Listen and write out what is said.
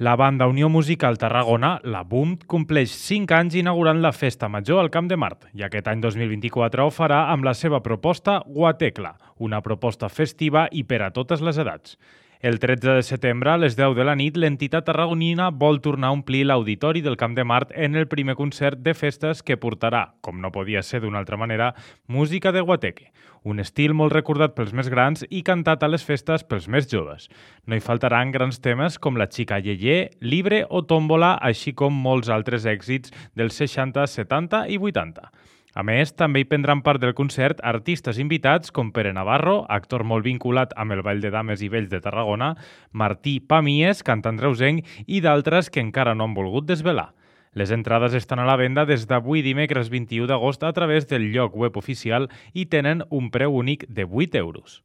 La banda Unió Musical Tarragona, la BUM, compleix 5 anys inaugurant la Festa Major al Camp de Mart i aquest any 2024 ho farà amb la seva proposta Guatecla, una proposta festiva i per a totes les edats. El 13 de setembre, a les 10 de la nit, l'entitat tarragonina vol tornar a omplir l'auditori del Camp de Mart en el primer concert de festes que portarà, com no podia ser d'una altra manera, música de guateque, un estil molt recordat pels més grans i cantat a les festes pels més joves. No hi faltaran grans temes com La xica Yeye, Libre o Tómbola, així com molts altres èxits dels 60, 70 i 80. A més, també hi prendran part del concert artistes invitats com Pere Navarro, actor molt vinculat amb el Ball de Dames i Vells de Tarragona, Martí Pamies, cantant reusenc, i d'altres que encara no han volgut desvelar. Les entrades estan a la venda des d'avui dimecres 21 d'agost a través del lloc web oficial i tenen un preu únic de 8 euros.